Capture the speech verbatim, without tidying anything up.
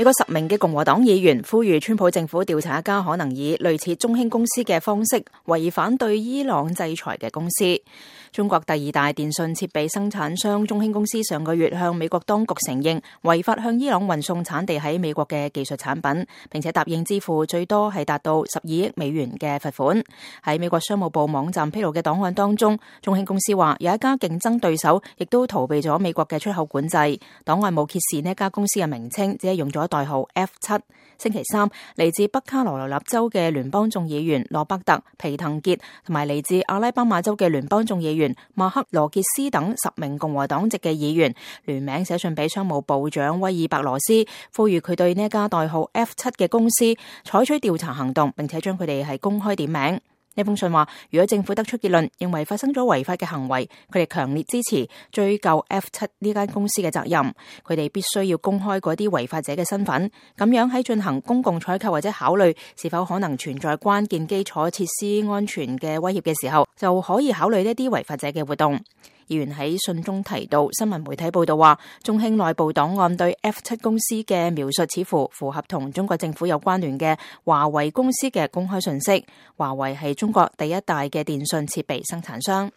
美國十名嘅共和黨議員呼籲川普政府調查一家可能以類似中興公司嘅方式違反對伊朗制裁嘅公司。中國第二大電信設備生產商中興公司上個月向美國當局承認違法向伊朗運送產地喺美國嘅技術產品，並且答應支付最多係達到十二億美元嘅罰款。喺美國商務部網站披露嘅檔案當中，中興公司話有一家競爭對手亦都逃避咗美國嘅出口管制。檔案冇揭示呢一家公司嘅名稱，只係用咗代號 F 七。星期三，嚟自北卡羅來納州嘅聯邦眾議員羅伯特皮滕傑同埋嚟自阿拉巴馬州嘅聯邦眾議員馬克羅傑斯等十名共和黨籍嘅議員聯名寫信俾商務部長威爾伯羅斯，呼籲佢對呢一家代號 F 七嘅公司採取調查行動，並且將佢哋係公開點名。呢封信話，如果政府得出結論，認為發生咗違法嘅行為，佢哋強烈支持追究 F 七呢間公司嘅責任。佢哋必須要公開嗰啲違法者嘅身份，咁樣喺進行公共採購或者考慮是否可能存在關鍵基礎設施安全嘅威脅嘅時候，就可以考慮呢啲違法者嘅活動。議員喺信中提到，新聞媒體報道話，中興內部檔案對 F 七公司嘅描述似乎符合同中國政府有關聯嘅華為公司嘅公開信息。華為係中國第一大嘅電信設備生產商。